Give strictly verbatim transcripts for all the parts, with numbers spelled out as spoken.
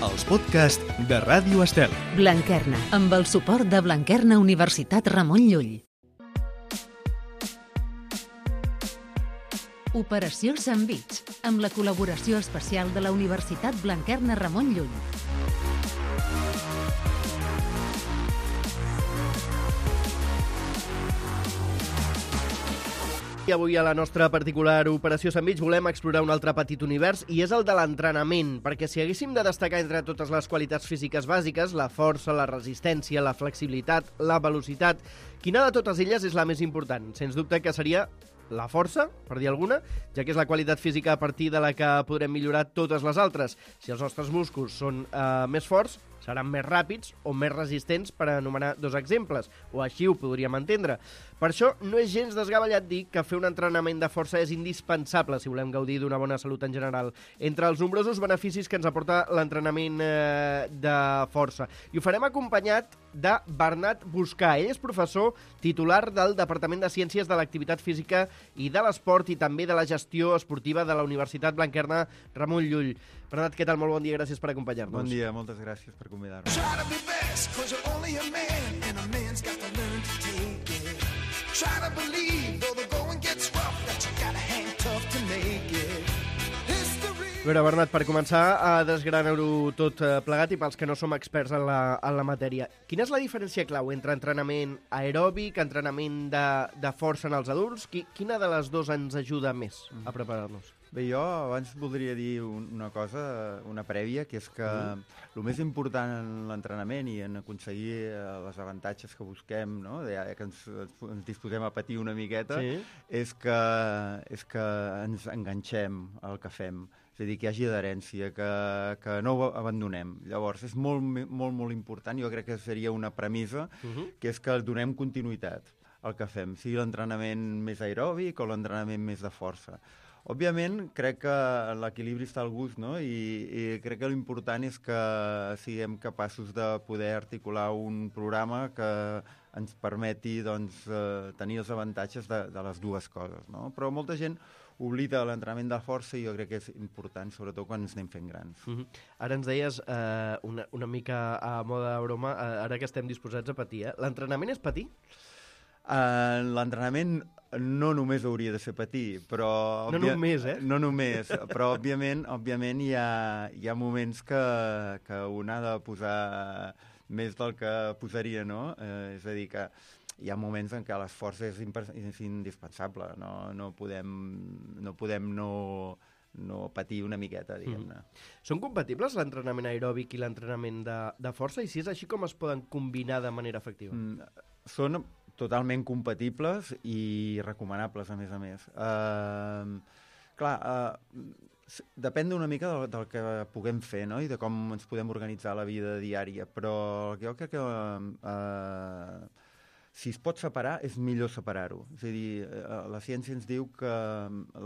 els podcasts de Ràdio Estel. Blanquerna, amb el suport de Blanquerna Universitat Ramon Llull. Operació Sandvich, amb la col·laboració especial de la Universitat Blanquerna Ramon Llull. I avui a la nostra particular Operació Sandvich volem explorar un altre petit univers i és el de l'entrenament, perquè si haguéssim de destacar entre totes les qualitats físiques bàsiques, la força, la resistència, la flexibilitat, la velocitat, quina de totes elles és la més important? Sens dubte que seria la força, per dir alguna, ja que és la qualitat física a partir de la que podrem millorar totes les altres. Si els nostres músculs són eh, més forts, seran més ràpids o més resistents, per anomenar dos exemples, o així ho podríem entendre. Per això no és gens desgavellat dir que fer un entrenament de força és indispensable si volem gaudir d'una bona salut en general. Entre els nombrosos beneficis que ens aporta l'entrenament eh, de força. I ho farem acompanyat de Bernat Buscà. Ell és professor titular del Departament de Ciències de l'Activitat Física i de l'Esport i també de la Gestió Esportiva de la Universitat Blanquerna Ramon Llull. Bernat, què tal? Molt bon dia, gràcies per acompanyar-nos. Bon dia, moltes gràcies per convidar-nos. A veure, Bernat, per començar a desgranar-ho tot plegat i pels que no som experts en la, en la matèria, quina és la diferència clau entre entrenament aeròbic, entrenament de, de força en els adults? Quina de les dues ens ajuda més a preparar-nos? Bé, jo abans voldria dir una cosa, una prèvia, que és que mm. el més important en l'entrenament i en aconseguir els avantatges que busquem, no? Ja que ens, ens disposem a patir una miqueta, sí. és, que, és que ens enganxem al que fem. És a dir, que hi hagi adherència, que, que no ho abandonem. Llavors, és molt, molt, molt important, jo crec que seria una premissa, uh-huh. que és que donem continuïtat al que fem, sigui l'entrenament més aeròbic o l'entrenament més de força. Òbviament, crec que l'equilibri està al gust, no? I, i crec que l'important és que siguem capaços de poder articular un programa que ens permeti doncs, eh, tenir els avantatges de, de les dues coses, no? Però molta gent oblida l'entrenament de força i jo crec que és important, sobretot quan ens anem fent grans. Uh-huh. Ara ens deies, eh, una, una mica a moda de broma, eh, ara que estem disposats a patir, eh? L'entrenament és patir? Uh, l'entrenament no només hauria de ser patir, però... No només, eh? No només, però òbviament, òbviament hi ha, hi ha moments que, que un ha de posar més del que posaria, no? Eh, és a dir, que hi ha moments en què l'esforç és, és indispensable, no, no podem no, podem no, no patir una miqueta, diguem-ne. Mm. Són compatibles l'entrenament aeròbic i l'entrenament de, de força? I si és així, com es poden combinar de manera efectiva? Mm, són totalment compatibles i recomanables, a més a més. Uh, clar, uh, depèn una mica del, del que puguem fer, no? I de com ens podem organitzar la vida diària, però jo crec que uh, si es pot separar, és millor separar-ho. És a dir, uh, la ciència ens diu que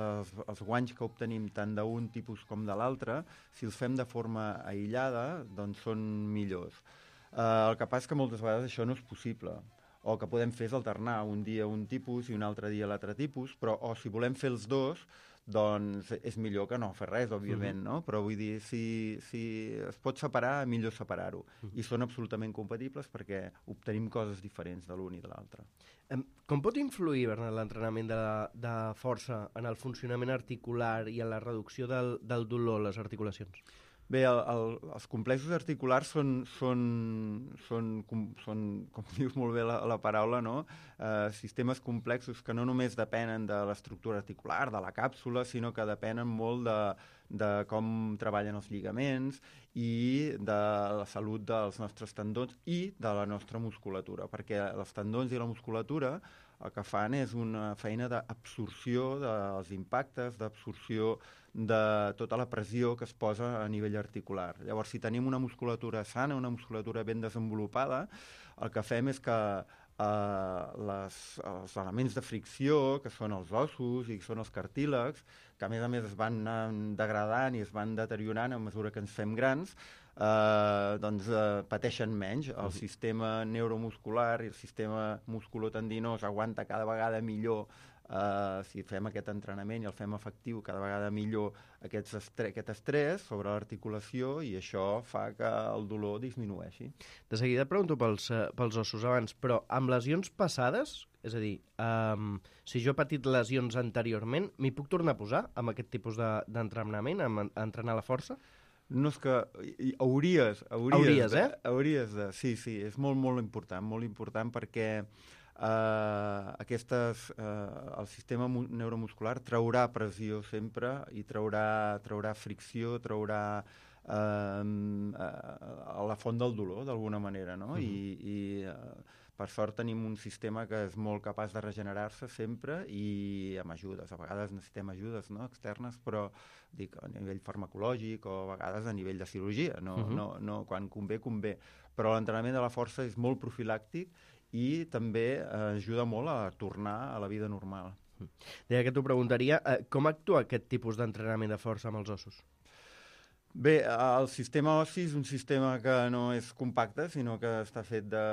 les, els guanys que obtenim tant d'un tipus com de l'altre, si els fem de forma aïllada, doncs són millors. Uh, el que passa és que moltes vegades això no és possible. O el que podem fer és alternar un dia un tipus i un altre dia l'altre tipus, però o si volem fer els dos, doncs és millor que no fer res, òbviament, uh-huh. no? Però vull dir, si, si es pot separar, millor separar-ho. Uh-huh. I són absolutament compatibles perquè obtenim coses diferents de l'un i de l'altre. Um, com pot influir, Bernat, l'entrenament de, de força en el funcionament articular i en la reducció del, del dolor a les articulacions? Bé, el, el, els complexos articulars són, són, són, com, són, com dius molt bé la, la paraula, no? Eh, sistemes complexos que no només depenen de l'estructura articular, de la càpsula, sinó que depenen molt de, de com treballen els lligaments i de la salut dels nostres tendons i de la nostra musculatura, perquè els tendons i la musculatura el que fan és una feina d'absorció dels impactes, d'absorció de tota la pressió que es posa a nivell articular. Llavors, si tenim una musculatura sana, una musculatura ben desenvolupada, el que fem és que eh, les, els elements de fricció, que són els ossos i que són els cartílegs, que a més a més es van degradant i es van deteriorant a mesura que ens fem grans, eh, doncs eh, pateixen menys. El sistema neuromuscular i el sistema musculotendinós aguanta cada vegada millor Uh, si fem aquest entrenament i el fem efectiu cada vegada millor aquests estre aquest estrès sobre l'articulació i això fa que el dolor disminueixi. De seguida et pregunto pels, uh, pels ossos abans, però amb lesions passades, és a dir, um, si jo he patit lesions anteriorment, m'hi puc tornar a posar amb aquest tipus d'entrenament, de, amb entrenar la força? No és que... Hauries, hauries, hauries de, eh? Hauries de... Sí, sí, és molt, molt important, molt important perquè Uh, aquestes, uh, el sistema neuromuscular traurà pressió sempre i traurà, traurà fricció, traurà uh, uh, la font del dolor, d'alguna manera, no? Uh-huh. I, i uh, per sort tenim un sistema que és molt capaç de regenerar-se sempre i amb ajudes. A vegades necessitem ajudes, no? Externes, però dic, a nivell farmacològic o a vegades a nivell de cirurgia. No, uh-huh. no, no, quan convé, convé. Però l'entrenament de la força és molt profilàctic i també eh, ajuda molt a tornar a la vida normal. Deia que t'ho preguntaria, eh, com actua aquest tipus d'entrenament de força amb els ossos? Bé, el sistema ossi és un sistema que no és compacte, sinó que està fet de...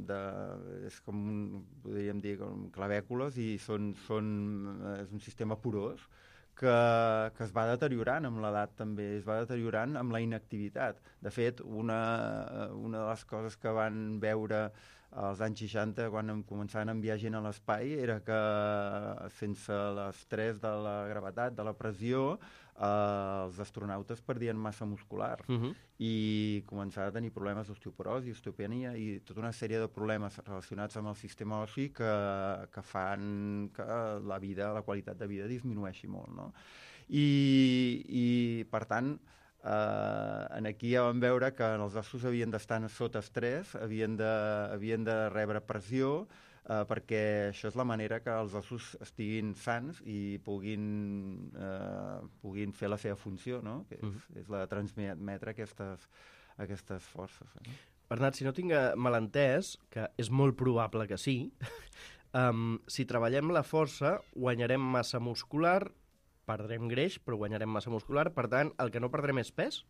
de és com, un, podríem dir, com clavècules, i són, són, és un sistema porós que, que es va deteriorant amb l'edat també, es va deteriorant amb la inactivitat. De fet, una, una de les coses que van veure als anys seixanta, quan començaven a enviar gent a l'espai, era que sense l'estrès de la gravetat, de la pressió, eh, els astronautes perdien massa muscular uh-huh. i començaven a tenir problemes d'osteoporosi, osteopenia i tota una sèrie de problemes relacionats amb el sistema ossi que, que fan que la vida, la qualitat de vida disminueixi molt, no? I, i per tant, Uh, en aquí ja vam veure que els ossos havien d'estar sota estrès, havien de, havien de rebre pressió, uh, perquè això és la manera que els ossos estiguin sans i puguin, uh, puguin fer la seva funció, no? Que és, uh-huh. és la de transmetre aquestes, aquestes forces. Eh? Bernat, si no tinc mal entès, que és molt probable que sí, um, si treballem la força, guanyarem massa muscular, perdrem greix, però guanyarem massa muscular. Per tant, el que no perdrem és pes?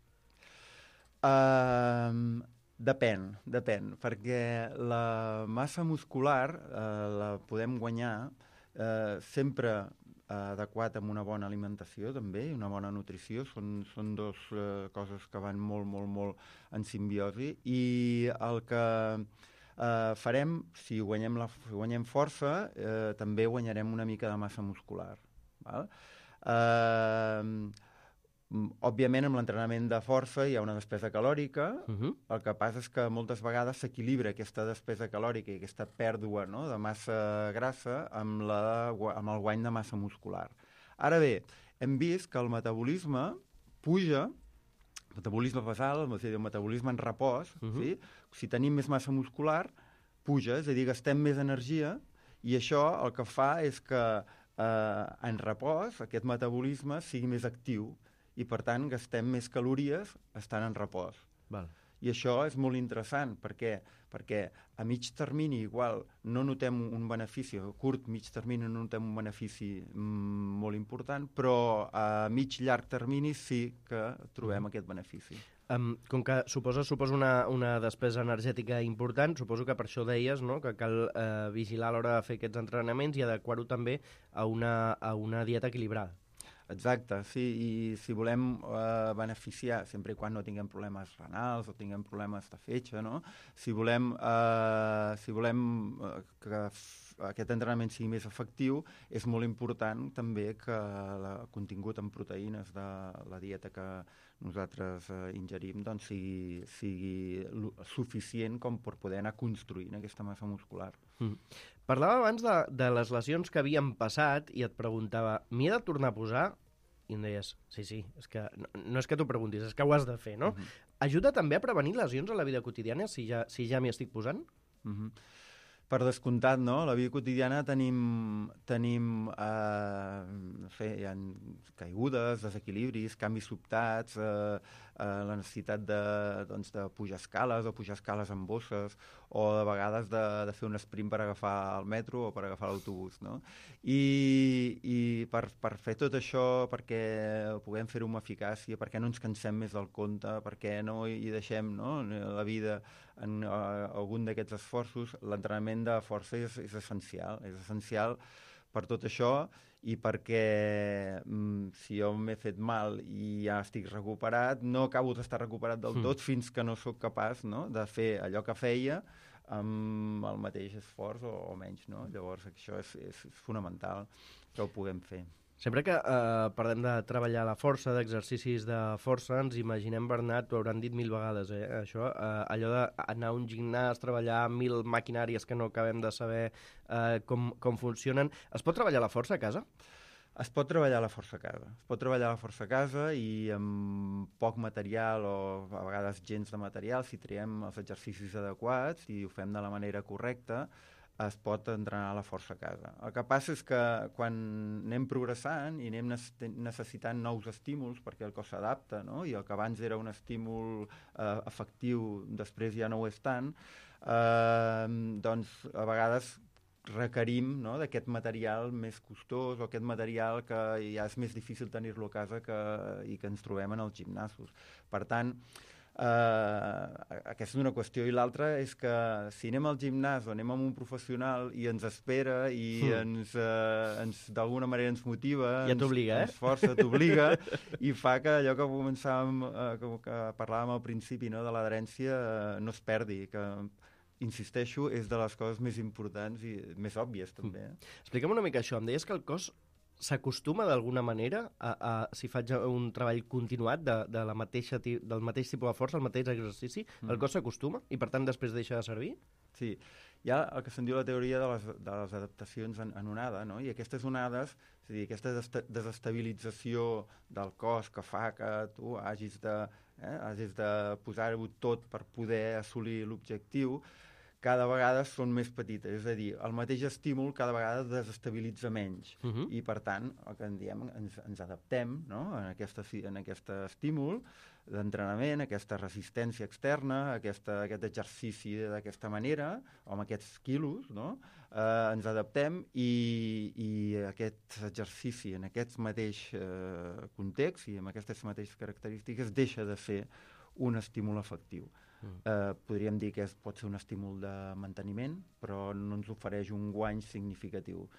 Uh, depèn, depèn, perquè la massa muscular uh, la podem guanyar uh, sempre uh, adequat amb una bona alimentació, també, i una bona nutrició. Són, són dues uh, coses que van molt, molt, molt en simbiosi. I el que uh, farem, si guanyem, la, si guanyem força, uh, també guanyarem una mica de massa muscular. Val? Uh, òbviament amb l'entrenament de força hi ha una despesa calòrica, uh-huh. el que passa és que moltes vegades s'equilibra aquesta despesa calòrica i aquesta pèrdua, no?, de massa grassa amb, la, amb el guany de massa muscular. Ara bé, hem vist que el metabolisme puja, el metabolisme basal, el metabolisme en repòs, uh-huh. sí? Si tenim més massa muscular, puja, és a dir, gastem més energia i això el que fa és que Uh, en repòs, aquest metabolisme sigui més actiu i, per tant, gastem més calories estant en repòs. Val. I això és molt interessant, perquè, perquè a mig termini igual no notem un benefici, a curt, mig termini no notem un benefici mm, molt important, però a mig, llarg termini sí que trobem mm. aquest benefici. Um, com que suposa, suposa una, una despesa energètica important, suposo que per això deies, no?, que cal eh, vigilar a l'hora de fer aquests entrenaments i adequar-ho també a una, a una dieta equilibrada. Exacte, sí, i si volem eh, beneficiar, sempre i quan no tinguem problemes renals o tinguem problemes de fetge, no? Si volem, eh, si volem eh, que aquest entrenament sigui més efectiu, és molt important també que el contingut en proteïnes de la dieta que nosaltres eh, ingerim doncs sigui, sigui suficient com per poder anar construint aquesta massa muscular. Mm. Parlava abans de, de les lesions que havien passat i et preguntava, m'hi he de tornar a posar? I em deies, sí, sí, és que no, no és que t'ho preguntis, és que ho has de fer, no? Uh-huh. Ajuda també a prevenir lesions a la vida quotidiana si ja, si ja m'hi estic posant? Uh-huh. Per descomptat, no? A la vida quotidiana tenim, tenim eh, no sé, hi ha caigudes, desequilibris, canvis sobtats, eh, eh, la necessitat de, doncs, de pujar escales o pujar escales amb bosses, o de vegades de, de fer un sprint per agafar el metro o per agafar l'autobús, no? I, i per, per fer tot això, perquè puguem fer-ho amb eficàcia, perquè no ens cansem més del compte, perquè no hi deixem, no?, la vida en uh, algun d'aquests esforços, l'entrenament de força és, és essencial. És essencial per tot això i perquè mm, si jo m'he fet mal i ja estic recuperat, no acabo d'estar recuperat del tot mm. fins que no sóc capaç, no?, de fer allò que feia amb el mateix esforç o, o menys, no? Llavors això és, és, és fonamental que ho puguem fer. Sempre que eh, parlem de treballar la força, d'exercicis de força, ens imaginem, Bernat, t'ho hauran dit mil vegades, eh, això, eh, allò d'anar a un gimnàs, treballar mil maquinàries que no acabem de saber eh, com, com funcionen. Es pot treballar la força a casa? Es pot treballar la força a casa. Es pot treballar la força a casa i amb poc material o a vegades gens de material, si triem els exercicis adequats i ho fem de la manera correcta, es pot entrenar la força a casa. El que passa és que quan anem progressant i anem necessitant nous estímuls perquè el cos s'adapta, no?, i el que abans era un estímul eh, efectiu, després ja no ho és tant, eh, doncs a vegades requerim, no?, d'aquest material més costós o aquest material que ja és més difícil tenir-lo a casa que, i que ens trobem en els gimnasos. Per tant, Uh, aquesta és una qüestió, i l'altra és que si anem al gimnàs o anem amb un professional i ens espera i mm. ens, uh, ens d'alguna manera ens motiva, ja t'obliga, ens, eh? ens força, t'obliga i fa que allò que començàvem, uh, que, que parlàvem al principi, no?, de l'adherència, uh, no es perdi, que insisteixo, és de les coses més importants i més òbvies també. Eh? Mm. Explica'm una mica això, em deies que el cos s'acostuma d'alguna manera a, a, si faig un treball continuat de, de la mateixa, del mateix tipus de força, el mateix exercici, mm. el cos s'acostuma i per tant després deixa de servir? Sí, hi ha el que se'n diu la teoria de les, de les adaptacions en, en onada, no? I aquestes onades, és a dir, aquesta desestabilització del cos que fa que tu hagis de, eh, hagis de posar-ho tot per poder assolir l'objectiu, cada vegada són més petites, és a dir, el mateix estímul cada vegada desestabilitza menys, uh -huh. i per tant, el que en diem, ens, ens adaptem, no?, en, aquesta, en aquest estímul d'entrenament, aquesta resistència externa, aquesta, aquest exercici d'aquesta manera, o amb aquests quilos, no?, eh, ens adaptem i, i aquest exercici en aquest mateix eh, context i amb aquestes mateixes característiques deixa de ser un estímul efectiu. Mm. Eh, podríem dir que és, pot ser un estímul de manteniment, però no ens ofereix un guany significatiu.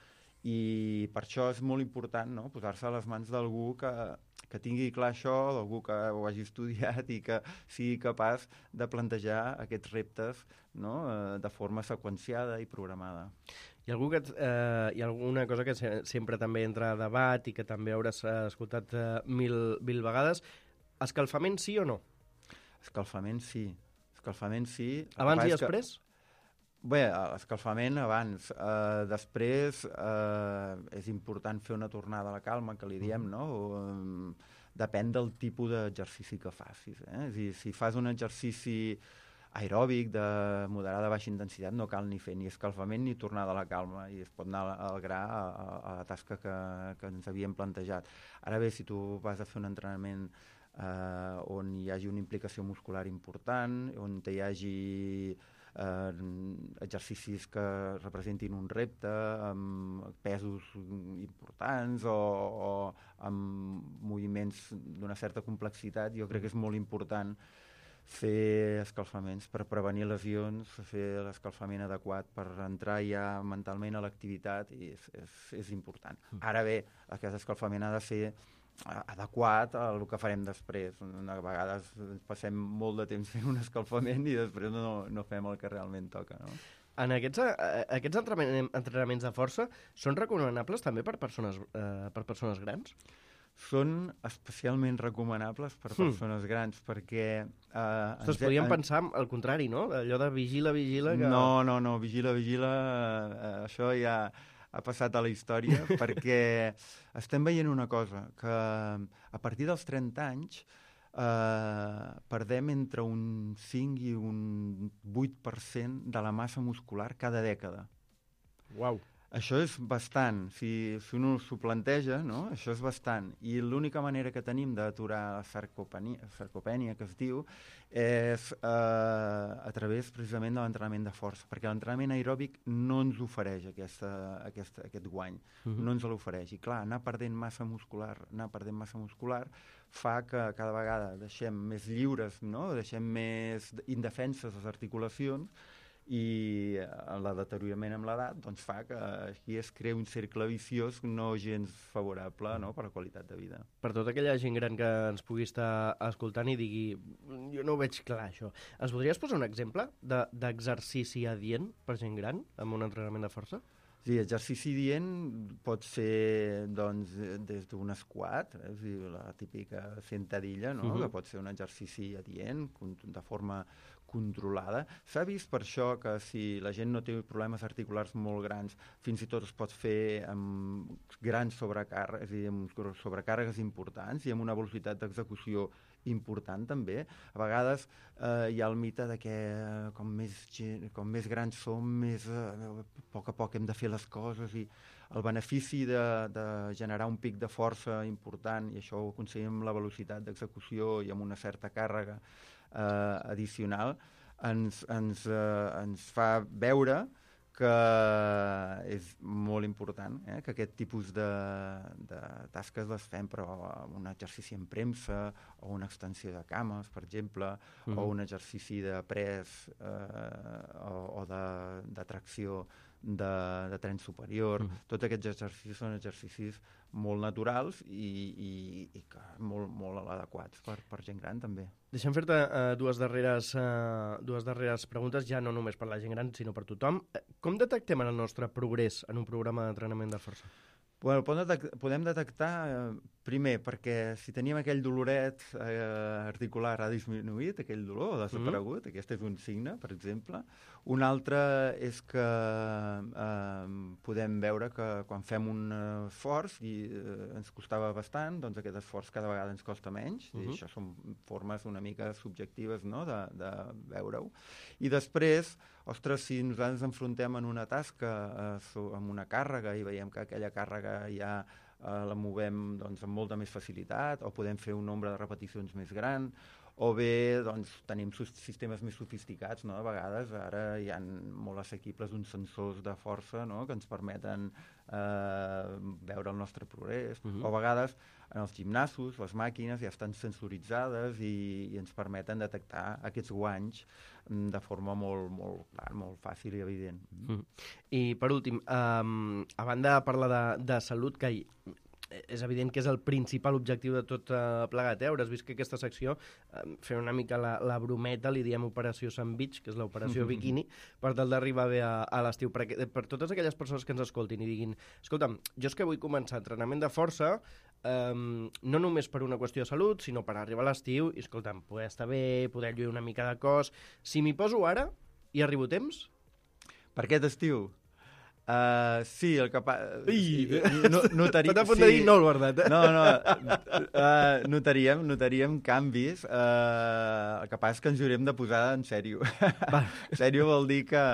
I per això és molt important, no?, posar-se a les mans d'algú que, que tingui clar això, d'algú que ho hagi estudiat i que sigui capaç de plantejar aquests reptes, no?, eh, de forma seqüenciada i programada. Hi ha, algú que, eh, hi ha alguna cosa que se, sempre també entra a debat i que també hauràs escoltat eh, mil, mil vegades. Escalfament sí o no? Escalfament sí. Escalfament sí. Abans i després? Que... Bé, l'escalfament abans. Uh, després uh, és important fer una tornada a la calma, que li diem, no? Um, depèn del tipus d'exercici que facis. Eh? És a dir, si fas un exercici aeròbic de moderada a baixa intensitat, no cal ni fer ni escalfament ni tornada a la calma, i es pot anar al gra a, a, a la tasca que, que ens havíem plantejat. Ara bé, si tu vas a fer un entrenament Uh, on hi hagi una implicació muscular important, on hi hagi uh, exercicis que representin un repte amb pesos importants o, o amb moviments d'una certa complexitat, jo crec que és molt important fer escalfaments per prevenir lesions, fer l'escalfament adequat per entrar ja mentalment a l'activitat, i és, és, és important. Ara bé, aquest escalfament ha de ser adequat al que farem després. A vegades passem molt de temps fent un escalfament i després no, no fem el que realment toca, no? En aquests, aquests entrenaments de força són recomanables també per persones, eh, per persones grans? Són especialment recomanables per persones mm. grans, perquè... Eh, Ostres, podríem en... pensar al contrari, no? Allò de vigila, vigila... Que... No, no, no, vigila, vigila, eh, això ja ha passat a la història, perquè estem veient una cosa, que a partir dels trenta anys eh, perdem entre un cinc i un vuit per cent de la massa muscular cada dècada. Uau! Això és bastant, si, si un s'ho planteja, no? Això és bastant. I l'única manera que tenim d'aturar la sarcopènia, sarcopènia, que es diu, és eh, a través precisament de l'entrenament de força, perquè l'entrenament aeròbic no ens ofereix aquesta, aquesta, aquest guany, uh-huh. no ens l'ofereix. I clar, anar perdent massa muscular, anar perdent massa muscular fa que cada vegada deixem més lliures, no? Deixem més indefenses les articulacions, i el deteriorament amb l'edat doncs, fa que aquí es crea un cercle viciós no gens favorable, no?, per a la qualitat de vida. Per tota aquella gent gran que ens pugui estar escoltant i digui jo no ho veig clar, això. Ens podries posar un exemple de, d'exercici adient per gent gran amb un entrenament de força? Sí, exercici dient pot ser doncs, des d'un squat, eh? És dir, la típica sentadilla, no? Uh-huh. Que pot ser un exercici adient de forma controlada. S'ha vist per això que si la gent no té problemes articulars molt grans, fins i tot es pot fer amb grans sobrecàrregues, és a dir, amb sobrecàrregues importants i amb una velocitat d'execució important també. A vegades eh, hi ha el mite de que eh, com, més, com més grans som, més eh, a poc a poc hem de fer les coses i el benefici de, de generar un pic de força important, i això ho aconseguim amb la velocitat d'execució i amb una certa càrrega eh, addicional, ens, ens, eh, ens fa veure que és molt important, eh? Que aquest tipus de, de tasques les fem, però un exercici en premsa o una extensió de cames, per exemple, mm-hmm. o un exercici de pres eh, o, o de, de tracció de, de tren superior. Mm-hmm. Tots aquests exercicis són exercicis molt naturals i, i, i que molt, molt adequats per, per gent gran també. Deixa'm fer-te uh, dues, darreres, uh, dues darreres preguntes, ja no només per la gent gran, sinó per tothom. Com detectem el nostre progrés en un programa d'entrenament de força? Bueno, podem detectar, eh, primer, perquè si teníem aquell doloret eh, articular ha disminuït, aquell dolor, ha desaparegut, mm-hmm. Aquest és un signe, per exemple. Un altre és que eh, podem veure que quan fem un esforç i eh, ens costava bastant, doncs aquest esforç cada vegada ens costa menys, mm-hmm. i això són formes una mica subjectives, no?, de, de veure-ho. I després, ostres, si nosaltres ens enfrontem en una tasca eh, amb una càrrega i veiem que aquella càrrega ja eh, la movem doncs, amb molta més facilitat, o podem fer un nombre de repeticions més gran, o bé doncs, tenim sistemes més sofisticats, no? A vegades ara hi ha molt assequibles uns sensors de força, no?, que ens permeten eh, veure el nostre progrés, uh-huh. o a vegades en els gimnasos les màquines ja estan sensoritzades i, i ens permeten detectar aquests guanys de forma molt, molt, clar, molt fàcil i evident. Mm. I per últim, um, a banda de parlar de, de salut, que hi, és evident que és el principal objectiu de tot uh, plegat, eh? Hauràs vist que aquesta secció, uh, fer una mica la, la brometa, li diem Operació Sun Beach, que és l'operació mm-hmm. bikini, per tal d'arribar bé a, a l'estiu. Per, per totes aquelles persones que ens escoltin i diguin, escolta'm, jo és que vull començar entrenament de força, um, no només per una qüestió de salut, sinó per arribar a l'estiu, i escolta'm, poder estar bé, poder lluir una mica de cos. Si m'hi poso ara, hi arribo a temps? Per aquest estiu? Uh, sí, el que... Pa... Ui, no, notaria... Tot a punt sí. de dir no, el veritat, eh? No, no, uh, notaríem, notaríem canvis. Uh, el que passa és que ens haurem de posar en sèrio. En sèrio vol dir que...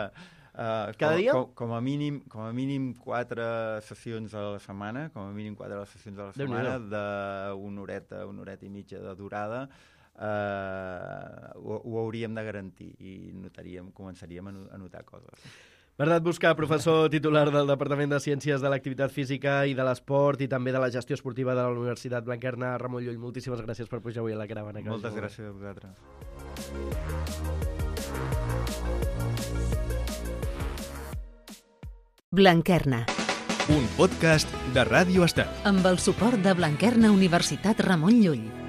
Uh, Cada com, dia? Com, com, a mínim, com a mínim quatre sessions a la setmana, com a mínim quatre sessions a la setmana, d'una horeta, una horeta i mitja de durada, uh, ho, ho hauríem de garantir i notaríem, començaríem a notar coses. Bernat Buscar, professor titular del Departament de Ciències de l'Activitat Física i de l'Esport i també de la Gestió Esportiva de la Universitat Blanquerna, Ramon Llull, moltíssimes gràcies per pujar avui a la caravana. Moltes gràcies a vosaltres. Blanquerna. Un podcast de Ràdio Estel. Amb el suport de Blanquerna Universitat Ramon Llull.